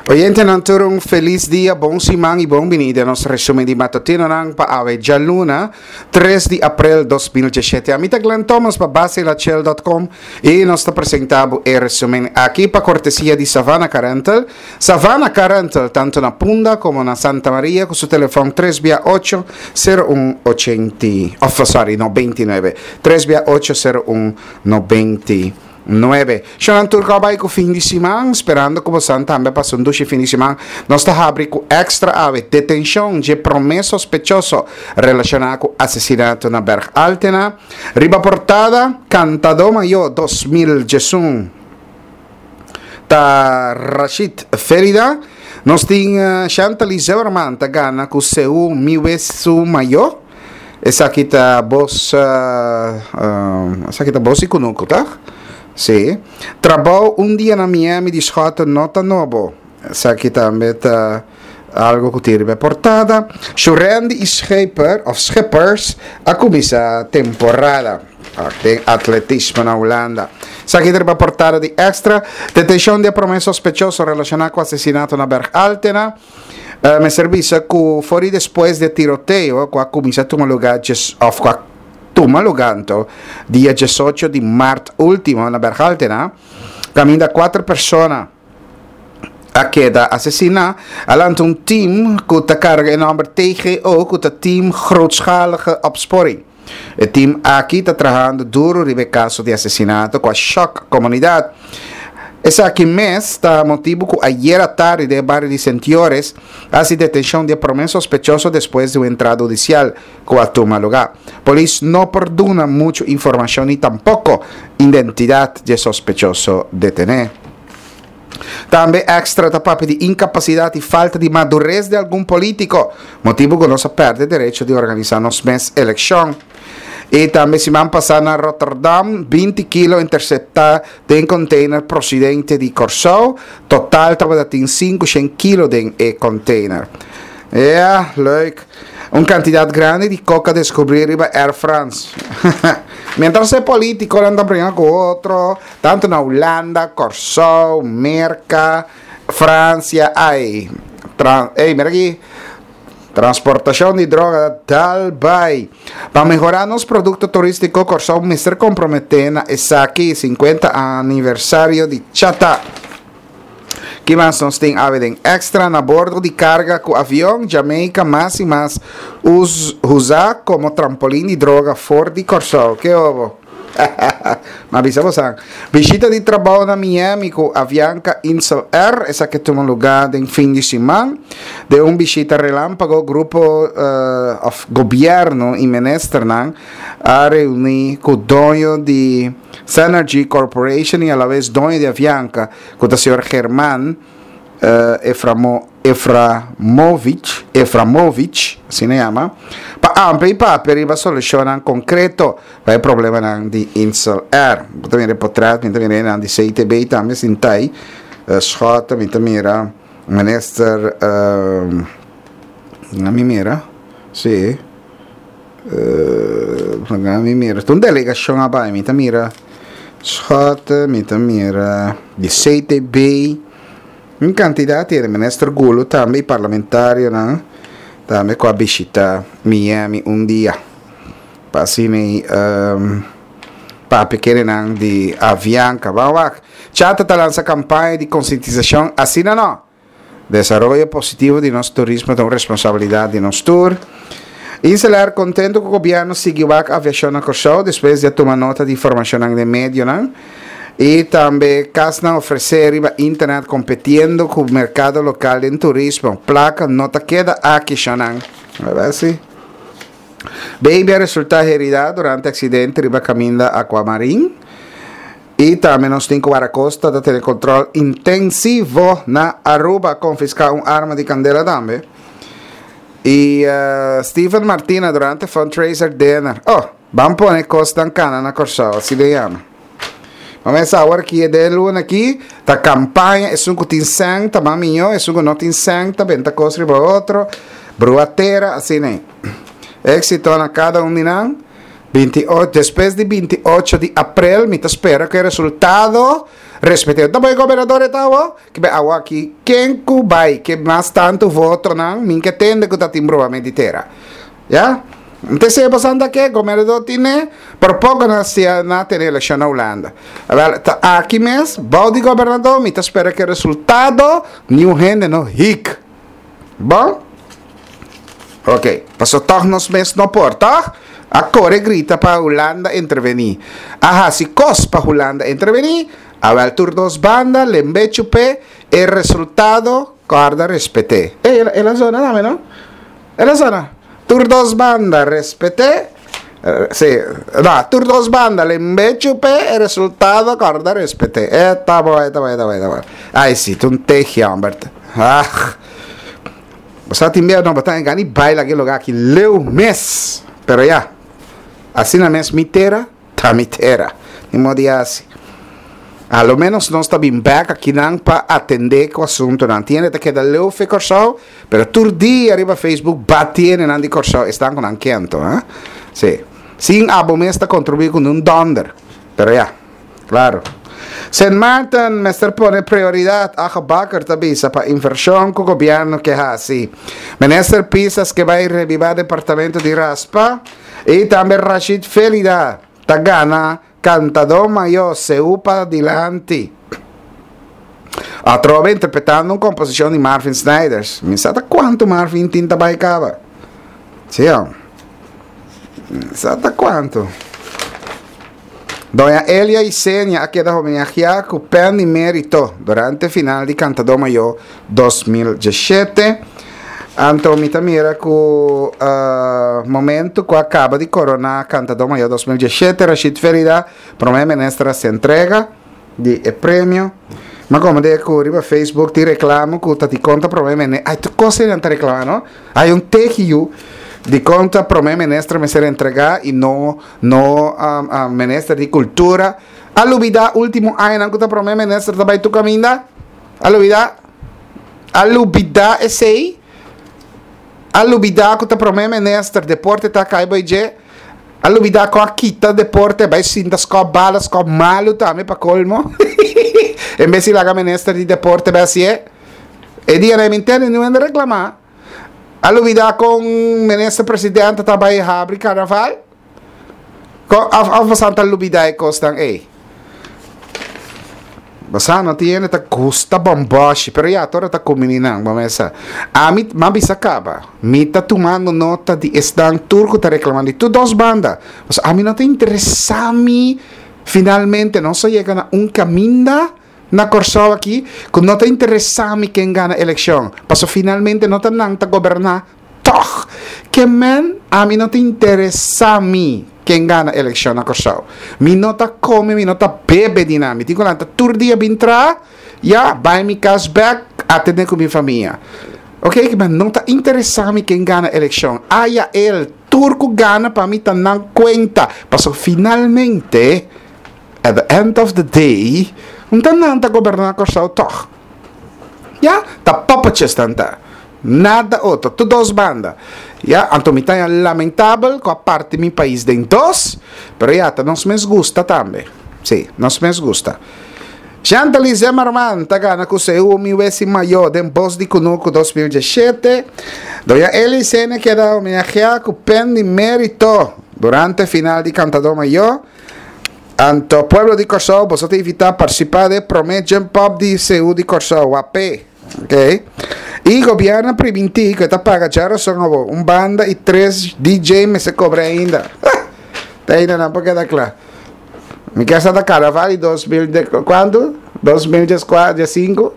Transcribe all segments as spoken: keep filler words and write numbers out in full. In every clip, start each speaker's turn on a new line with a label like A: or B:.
A: Oyentenan tur un felis dia, bon siman i bon bini den nos resumen di matutinonan pa awe djaluna, tres di aprel dos mil diesshete. Ami ta Glenn Thomas pa Basilachel dot com i nos ta presenta bo e resumen aki pa kortesia di Savannah Car Rental. Savannah Car Rental tanto na Punda komo na Santa Maria ku su telefon tres bia ocho sero un ochenta, of sorry, no binti nuebe, tres bia ocho sero un nobenta. Nuebe. Shonan tur ku a bai ku fin di siman, sperando ku bosan tambe a pasa un dushi fin di siman. Nos ta habri ku Extra awe, detenshon dje promé sospechoso relashoná ku asesinato na Berg Altena. Riba portada, Kantadó Mayó dos mil diesun ta Rashid Ferida. Nos tin Shantaly Zimmerman ta gana ku Seú Mi Wesu Mayó. Esaki ta bos, esaki ta bos di kunuku, tòg? Sí. Trabou un dia na Miami di Schotten no ta nobo. Esaki tambe ta algo ku tin riba e portada. Shurendi i Scheper of Schippers a kuminsá temporada den atletismo na Hulanda. Esaki ta riba portada di Extra. Detenshon di e promé sospechoso relashoná ku asesinato na Berg Altena. Mester bisa ku for di despues di e tiroteo ku a kuminsá tuma lugá djes òf ku a tuma lugá anto dia diesocho di mart último na Berg Altena, kaminda kuater persona a keda asesiná, a lanta un team ku ta karga e nòmber T G O ku ta Team Grootschalige Opsporing. E team aki ta trahando duru riba e kaso di asesinato ku a shòk komunidat. Esaki mes ta motibu ku ayer atardi den e bario di Sentiores a hasi detenshon di e promé sospechoso despues di un entrada hudisial ku a tuma lugá. Polis no por duna muchu informashon ni tampoko identidat di e sospechoso detené. Tambe Extra ta papia di inkapasidat i falta di madures di algun polítiko, motibu ku nos a pèrdè derecho di organisá nos mes elekshon. I tambe siman pasá na Rotterdam, binti kilo interseptá den container prosidente di Kòrsou. Total tabata tin sinku shen kilo den e container. Ja, leuk. Un kantidat grandi di koka deskubrí riba Air France. Mientras e politikonan ta bringa ku otro, tantu na Hulanda, Kòrsou, Merka, Fransia, ai, tran, ey, mira aki. Transportashon di droga ta dal bai. Pa mehorá nos produkto turístiko Kòrsou mester komprometé na esaki sinkuenta aniversario di Chata. Ki mas nos tin awe den Extra? Na bordo di karga ku avion, Jamaica mas i mas usa komo trampolin di droga for di Kòrsou. Ke obo? Ma bisa bosan. Bishita di trabou na Miami ku Avianca Insel Air, esaki tuma lugá den fin di siman. Den un bishita relámpago, grupo òf gobièrnu i ministernan a reuní ku doño di Cenergy Corporation i alabes doño di Avianca, ku ta señor Germán Eframo, Eframovich, Eframovich, asina yama, pa amplia i papia riba solushonnan konkreto pa e problemanan di Insel Air. Bo ta mira e potret, mi ta mira enan di C T B tambe sinta ei, Schotten, mi ta mira minister, uh, mi mira, si, uh, mi mira, ta un delegashon a bai, mi ta mira Schotten, mi ta mira di C T B, un kantidat di minister Gulu tambe i parlamentarionan tambe ku a bishita Miami un dia. Pa asina ei, um, papia kerenan di Avianca. Ban wak. Chata ta lansa kampaña di konsientisashon asina no. Desaroyo positivo di nos turismo ta un responsabilidat di nos tur. Inselair kontento ku gobièrnu sigui wak aviashon na Kòrsou despues di a tuma nota di informashonnan den medionan. I tambe kasnan ofresé riba internet kompetiendo ku merkado lokal den turismo. Plaka no ta keda aki, shonnan. A ver si. Baby a resultá heridá durante aksidente riba kaminda Aquamarin. I tambe nos tin ku Guardacosta ta tene kontrol intensivo na Aruba. Konfiská un arma di kandela tambe. I Steven Martina durante fundraiser dinner. Oh, ban pone kosnan kana na Kòrsou, asina e yama. Mama esa awor ki e den luna ki, ta kampaña, esun ku tin sèn ta mas mihó, esun ku no tin sèn ta benta kos riba otro, brua tera, asina ei. Éxito na kada un di nan. Binti ocho, despues di binti ocho di aprel mi ta spera ku e resultado Respet'é. Ta bai gobernador e ta awo? Ke be awo aki ken ku bai ke mas tantu votonan min ke tende ku ta tin bromamento di tera. Ya? Nte se basanda ke gobernador tine por poko na sia na tene elekshon na Hulanda. Awel ta aki mes bou di gobernador mi ta spera ke resultado niun hende no hik. Bon? Ok, paso tòg nos mes no por, tòg? A kore grita pa Hulanda intervení. A hasi kos pa Hulanda intervení. Awel tur dos banda lembe chup'é e resultado kòrda respet'é. Ey, el a zona tambe no? El a zona. Tur dos banda respet'é. Sí, no, tur dos banda lembe chup'é e resultado kòrda respet'é. E ta bon, e ta bon, e ta bon, e ta bon. Ay sí, ta un tehi hòmber. Ach. Bo sa tin bia no bo ta gana di baila aki lugar aki leu mes. Pero ya, asina mes mi tera ta mi tera. Ni modo di hasi. A lo menos nos ta bin bek akinan pa atende ku asuntunan. Tin hende ta keda leu fe Kòrsou, pero tur dia riba Facebook bati hendenan di Kòrsou esnan ku nan kento, ha. Sí. Sin abo mes ta kontribuí ku nun dònder. Pero ya. Claro. Sint Maarten mester pone prioridad, Ago Bakker ta bisa, pa inversion cu gobierno ke haci. Minister Pisas ke bay reviva departamento di Raspa y tambe Rashid Felida ta gana Cantador Mayor Seú pa dilanti. Atrobe interpretando un composicion di Marvin Snijders. Mi sa ta cuanto Marvin tin ta bay caba. Sí, mi sa ta cuanto. Doña Elia Isenia a keda homenajeá ku Pen di Mérito durante final di Kantadó Mayó dos mil diesshete. Anto mi ta mira ku momentu ku a kaba di koroná Kantadó Mayó dos mil diesshete, Rashid Felida, Promé Minister a hasi entrega di e premio. Mi a komprendé ku riba Facebook tin reklamo ku ta di konta Promé Minister, ay tur kos ei nan ta reklamá no, hay un tehi yu di konta Promé Minister mester entregá i no No minister di cultura a lubida ultimo añanan cu ta prome minister ta bay tur caminda? A lubida? A lubida esey? A lubida cu ta prome minister deporte ta cay bay dje? A lubida cu a kita deporte bay sinta scop bala scop malo tambe pa colmo? En bes di laga minister di deporte bay hacié? E dia nan mi ntende niun hende reclama. A lubida con minister presidente ta bay habri carnaval? Con of of bosan ta lubida e cosnan ey? Bosan no tin hende ta gusta bomboshi, pero ya tora ta cumini nan, bo mesa. Ami m'a bisa caba, mi ta tumando nota di esnan tur cu ta reclama di tur dos banda. Pasobra ami no ta interesa mi finalmente nos a yega na un caminda Na Kòrsou aki ku no ta interesá mi ken gana elekshon, paso finalmente no ta nan ta goberná tòg. Ke men ami no ta interesá mi ken gana elekshon na Kòrsou. Mi no ta kome, mi no ta bebe di nan. Mi tin ku lanta tur dia bin traha, ya, bai mi kas bèk, atendé ku mi famia. Oke, ke men no ta interesá mi ken gana elekshon. Aya el, tur ku gana pa mi ta nan kuenta, paso finalmente, At the end of the day, un ta nan ta goberná Kòrsou tòg. Ya, ta puppetjes nan ta. Nada otro, tur dos banda. Ya, anto mi ta haña lamentabel ku a parti mi pais den dos, pero ya, ta nos mes gusta tambe. Sí, nos mes gusta. Shantali Zimmerman ta gana ku Seú Mi Wesi Mayó den Bos di Kunuku dos mil diesshete. Doña Eli Sene keda homenajeá ku Pen di Mérito durante final di Kantadó Mayó. Anto pueblo di Kòrsou boso ta invitá partisipá den e promé Jump Up di Seú di Kòrsou, wapé. Ok. I gobièrnu a primintí ku e ta paga djarason awor. Un banda i tres D J mester kobra ainda. Te ainda nan por keda kla. Mi ke sa ta karnaval di dos mil de kuantu? Dos mil dieskuater, diesinku?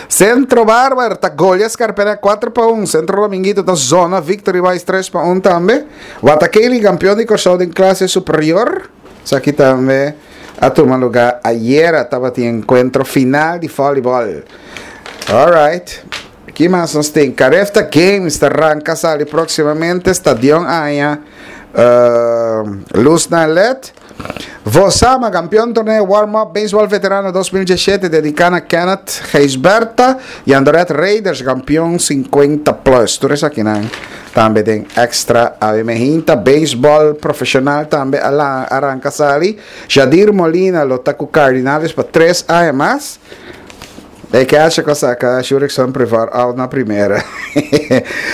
A: Centro Barber ta golia Scarpena kuater pa un. Centro Dominguito ta zona Victory Boys tres pa un tambe. Watakeli kampeon di Kòrsou den klase superior. Esaki tambe a tuma lugá ayera tabatin enkuentro final di volleyball. Alright. Ki mas nos tin? Carefta Games ta ranka sali próximamente. Stadion aña uh, luz na led. Vosama, kampeon torneo Warm Up Baseball Veterano dos mil diesshete dediká na Kenneth Gijsbertha i Andoret Raiders kampeon sinkuenta plus. Tur esakinan Tambe den Extra awe mainta. Beisbòl profeshonal tambe a aranka sali. Jadir Molina lo ta ku Cardinales pa tres aña mas. E catcher ku a saka Jurickson Profar out na primera.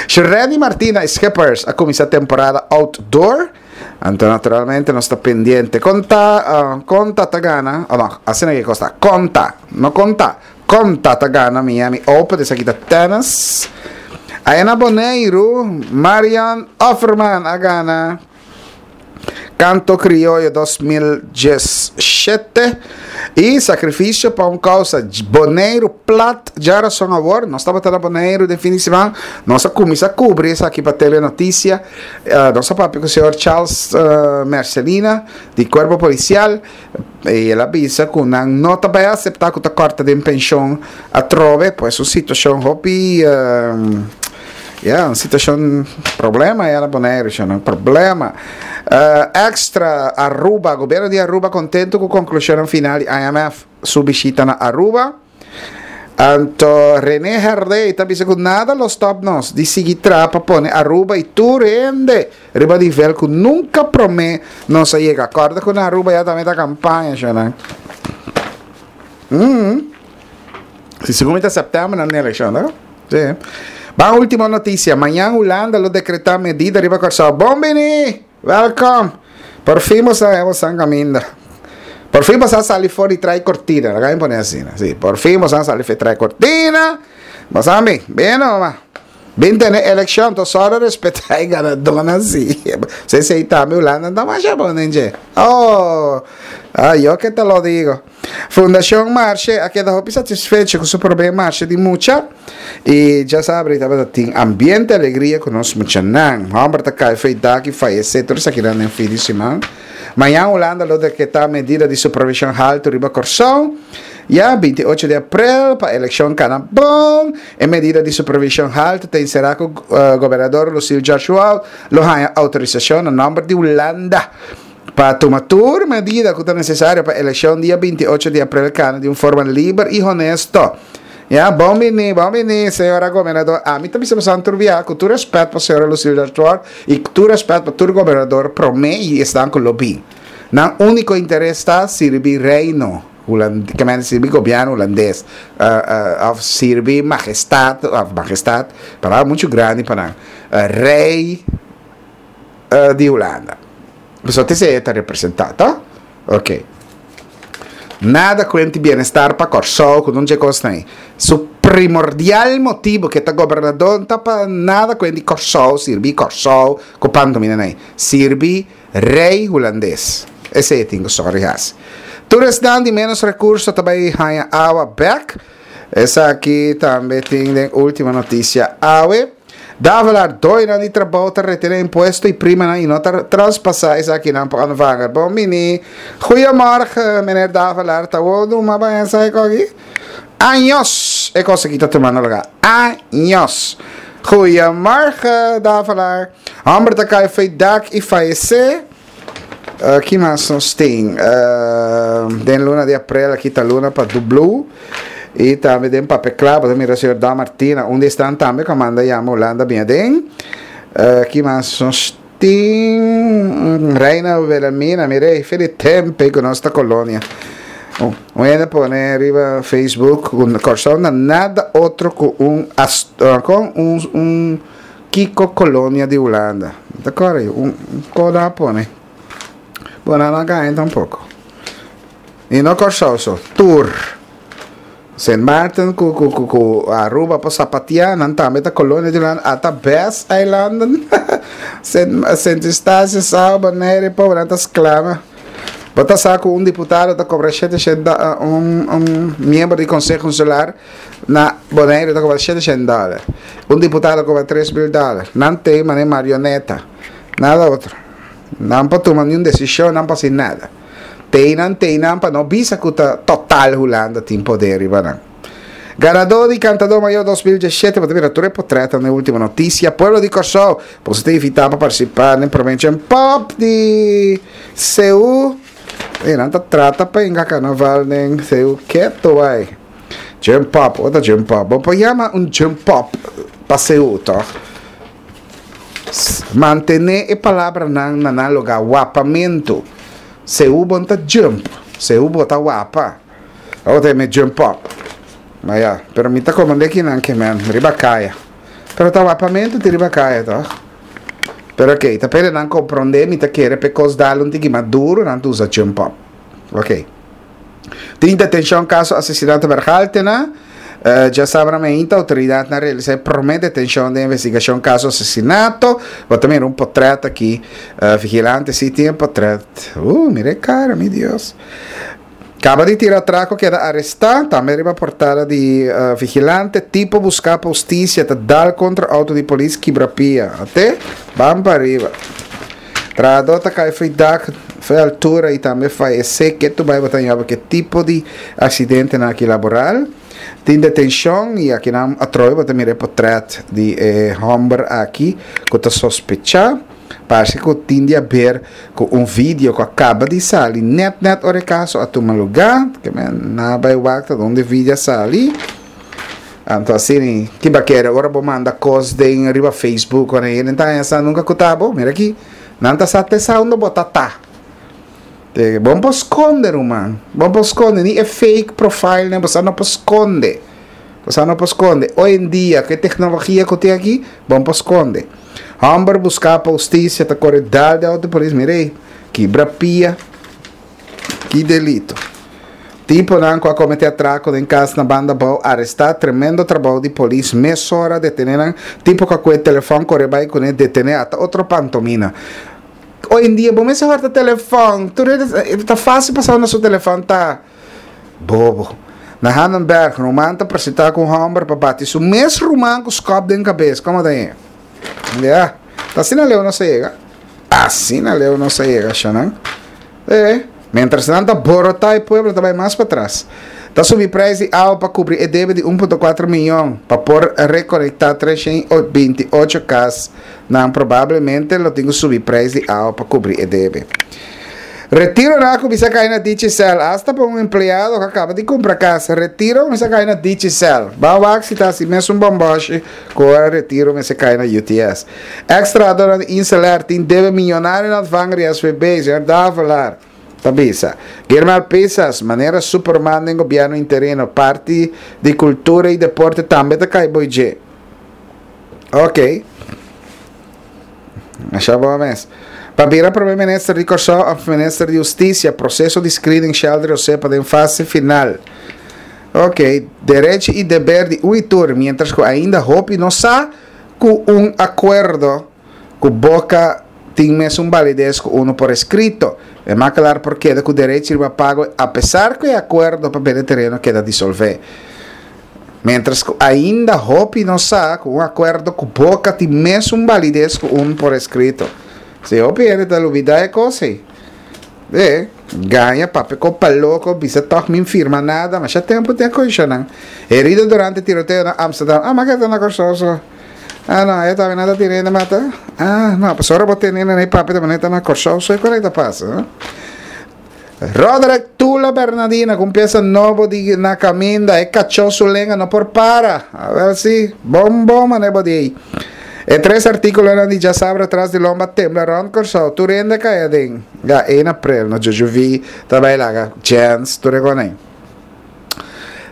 A: Churandy Martina Schippers a kuminsá temporada outdoor. Anto naturalmente nos ta pendiente. Konta, uh, konta ta gana. Oh, no, asina ku kosta. Konta, no konta. Konta ta gana Miami Open. Esaki ta tennis. Aya na Boneiru, Marian Offerman a gana Canto Criollo dos mil diesshete i sakrifisio pa un kousa. Boneiru plat djarason awor. Nos tabata na Boneiru den fin di siman. Nos a kuminsá kubri esaki pa Telenotisia. Uh, nos a papia ku señor Charles uh, Mercelina di Kuerpo Polisial i el a bisa ku nan no ta bai aseptá ku ta kòrta di penshon atrobe, pues un situashon hopi uh, ja, un situashon problema na Boneiru, un problema. Uh, extra Aruba, gobièrnu di Aruba kontentu ku e konklushon final di I M F su bishita na Aruba. Anto René Herdé ta bisa ku nada lo stop nos di sigui traha pa pone Aruba i tur hende riba nivel ku nunka promé nos a yega. Kòrda ku na Aruba ya tambe ta kampaña, ya. Mm. Si segun ta sèptèmber na elekshon, no? Si. Ban último notisia. Mañan Hulanda lo dekretá medida riba Kòrsou. Bon bini! Welkom! Por fin nos ta kaminda. Por fin nos a sali for di tras kortina. Laga mi pone asina. Si, por fin nos a sali for di tras kortina. Mas ami, bin no, bin tene elekshon, anto so respetá e ganadó asina. Si si tambe Hulanda no mas bon. Oh, ah, yo que te lo digo. Fundashon Marshe a keda hopi satisfecho ku su promé marshe di mucha i ya sabe, tin ambiente, alegria ku nos muchanan. Hòmber ta kai fo'i dak i fayesé, tur esaki na fin di siman. Mañan Hulanda lo dekretá medida di supervishon haltu riba Kòrsou. Ya, binti ocho di aprel, pa elekshon kana bon. E medida di supervishon haltu ta enserá ku uh, gobernador Lucille George lo haña outorisashon na nòmber di Hulanda pa tuma tur medida ku ta nesesario pa elekshon dia binti ocho di aprel kana di un forma liber i honesto. Ya, bon bini, bon bini, señora gobernador. Ami tambe ta bisa ku tur rèspèt pa señora Lucille George i tur rèspèt pa tur gobernador promé i esnan ku lo bin. Nan úniko interes ta sirbi reino hulandes, ke men sirbi gobièrnu hulandes, uh, uh, òf sirbi mahestat, òf mahestat, palabra muchu grandi pa nan, uh, rei uh, di Hulanda. So esei ta representá, ta? Ok. Nada kuenta bienestar pa Kòrsou, ku no kos ei. Su primordial motibu ku ta gobernador ta pa nada kuenta Kòrsou, sirbi Kòrsou, ku pantomina nei. Sirbi rei hulandes. Esei tin ku sorry has. Tur esnan di menos rekurso tambe ta haña awa bèk. Esaki tambe tin e último notisia awe. Davelaar doño di trabou ta retené impuesto i prima i no traspasá esaki nan pa ontvanger. Bon bini. Goedemorgen, meneer Davelaar. Ta bon, maar bij een aki? Años. E kos aki ta tumando lugá. Años. Goedemorgen, Davelaar. Hòmber ta kai fo'i dak i fayesé. Uh, ki mas nos tin? Uh, den luna di aprel, aki ta luna pa Blue. I tambe den Papia Kla, mira señor Dan Martina, unda ta tambe ku manda yama Hulanda bin aden. Uh, ki mas nos tin? Reina Wilhelmina, mira, feliz tempu ku nos ta kolonia. Oh, un pone riba Facebook, un Kòrsou nada otro ku un, ku un, un Kiko kolonia di Hulanda. Di akuerdo? Un, un koda pone. Bueno, no gaña tampoko. I no Kòrsou so, tur. Saint Martin ku ku ku ku Aruba pa sapatia, nan tambe ta kolonia di Hulanda, ata Best Island. Saint Saint Eustatius, Saba, Bonaire, pobre, nan ta sklama. Bo ta sa ku un diputado ta kobra shete un un miembro di konseho insular na Bonaire ta kobra shete dòler. Un diputado kobra tres mil dòler. Nan tin manera marioneta. Nada otro. Nan por tuma ningun desishon, nan por hasi nada. Teinan, teinan pa no bisa ku ta total Hulanda tin poder riba nan. Ganadó di Kantadó Mayó dos mil diesshete, bo ta mira tur portrèt na último notisia. Pueblo di Kòrsou, bo ta invitá pa partisipá na promé Pop di Seú. E nan ta trata pa hinka karnaval den Seú ketu bai. Jump Pop, wat jump pop? Bo por yama un jump pop pa Seú, toch? Mantené e palabranan na nan lugá, wapamentu. Seú bo no ta jump, seú bo ta wapa. Awor ta mi jump up. Ma ya, pero mi ta komand'é kinan ke men, riba kaya. Pero ta wapamentu tin riba kaya, tòg? Pero okey, ta p'e nan komprondé, mi ta kere p'e kos dal un tiki mas duru, nan ta usa jump up. Okey. Tin detenshon kaso asesinato Bergaltena. Djasabra meinta outoridatnan a realisá e promé detenshon den investigashon kaso asesinato. Bo ta mira un potrèt aki. Vigilante si tin e potrèt. Uh, mira e kara, mi Dios. Kaba di tira atrako keda arestá. Tambe riba portada di Vigilante, tipo buská pa hustisia ta dal kontra outo di polis kibra pia. Ate, ban pa riba. Trahadó ta kai fo'i dak, fo'i altura i tambe fayesé. Ke tu bai bo ta yoba ke tipo di aksidentenan aki laboral? Tin detenshon i akinan atrobe bo ta mira e potrèt di e hòmber aki ku ta sospechá. Parse ku tin di aber ku un video ku a kaba di sali nèt nèt ora e kaso a tuma lugá. Ke men na bai wak ta donde e video a sali. Anto asina ki ba kere ora bo manda kos den riba Facebook ora hende ta haña sa nunka ku ta bo. Mira aki nan ta sa te sa unda bo ta ta. Te bo no por skonde ruman, bo no por skonde ni e fake profile nan bo sa no por skonde. Bo sa no por skonde. Hoy en dia ku e teknologia ku tin aki bo no por skonde. Hòmber buská pa hustisia ta kore dal den outo polis mira ei kibra pia. Ki delito? Tiponan ku a kometé atrako den kas na Banda Bou arestá. Tremendo trabou di polis mesora detené nan. Tipo ku a kue telefòn kore bai kuné detené ata otro pantomina. Hoy en dia bo mester hòrta telefòn. Tur hende ta fásil pa sa unda su telefòn ta. Bobo. Na Hanenberg ruman ta presentá ku un hòmber pa bati su mes ruman ku skòp den kabes. Komo ta e? Ya. Ta asina leu nos a yega. Asina leu nos a yega, shanan. E, mientras nan ta borotá e pueblo ta bai mas patras. Ta subi prijs di awa pa kubri e debe di un punto kuater miyon pa por rekonektá treshen i binti ocho kas. Nan probablemente lo tin ku subi prijs di awa pa kubri e debe. Retironan a kuminsá kai na Digicel, asta pa un empleado ku a kaba di kumpra kas. Retiro a kuminsá kai na Digicel. Ban wak si ta hasi mesun bòmbòshi ku ora retiro mester kai na U T S. Eks trahadornan di Inselair tin debe miyonario na ontvanger di S V B, señor Davelaar ta bisa. Guillermo Pisas, manera Superman den gobierno interino, parti di cultura y deporte tambe ta cay boy dje. Ok. Masha bo mes. Pa bira prome minister di Kòrsou òf minister di Hustisia, proseso di screening Sheldry Osepa den fase final. Ok, derechi i deber di un i tur, mientras ku ainda hopi no sa ku un akuerdo ku boka tin mesun balides ku unu por eskrito. E makelaar por keda ku derechi riba pago apesar ku e akuerdo pa bende tereno keda disolvé. Mientras cu ainda hopi no sa cu un acuerdo cu boca tin mesun validez cu un por escrito. Si hopi hende ta lubida e cos ey. E, gaña, papia cu paloco, bisa toch min firma nada, masha tempo tin a condicionan. Herido durante tiroteo na Amsterdam. Ah, ma ke ta na Corsou so? Ah, no, e tambe nan ta tira hende mata? Ah, no, pasobra bo tene hende na e papia ta manera ta na Corsou so e con ey ta pasa, no? Roderick Tula Bernadina ku un piesa nobo di Na Kaminda, e kachó su lenga no por para. Awel si, bon bon mane bo di ei. E tres artíkulonan di djasabra tras di lomba tembla rònt Kòrsou, tur hende a kai aden. Ya, ein aprel, no Jojovi ta bai laga Jens, tur e konei.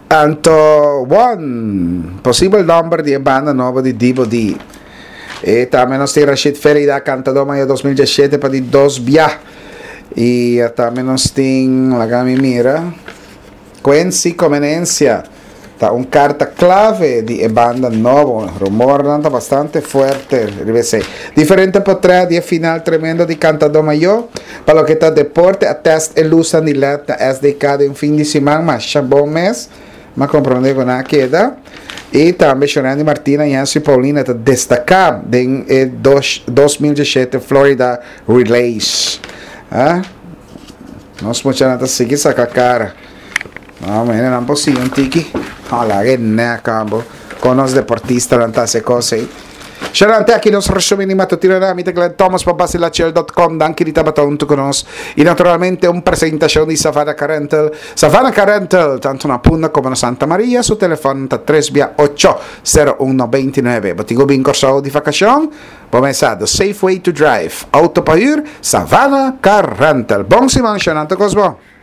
A: Anto, won, posibel nòmber di e banda nobo di Dibo di. E tambe nos tin Rashid Felida, kantadó mayor dos mil diesshete pa di dos bia. I tambe nos tin, laga mi mira, Quincy Comenencia ta un karta klave di e banda nobo. Rumornan ta bastante fuerte riba esei. Diferente potrèt di e final tremendo di Kantadó Mayó. Pa loke ta deporte a tèst e lusnan di led na S D K den fin di siman. Masha bon mes. M'a komprondé ku nan a keda. I tambe Shorandy Martina i Hensley Paulina ta destaká den e dos dos mil diesshete Florida Relays. Ah, nos muchanan ta sigui saka kara. No, mira, nan por sigui un tiki. No, laga e nèk abo. Kon nos deportistanan ta hasi e kos ei. Sharante, aki nos resumen di matutino na mi ta Glenn Thomas pa basilachel punto com. Danki di tabata hunto cu nos. Y naturalmente un presentacion di Savannah Car Rental. Savannah Car Rental, tanto na Punda como na Santa Maria, su telefon ta tres ocho, cero un nuebe nuebe. Bo tin cu bin Corsou di vacacion? Cuminsa, the safe way to drive. Auto pa huur, Savannah Car Rental. Bon siman, Shanante Cosmo.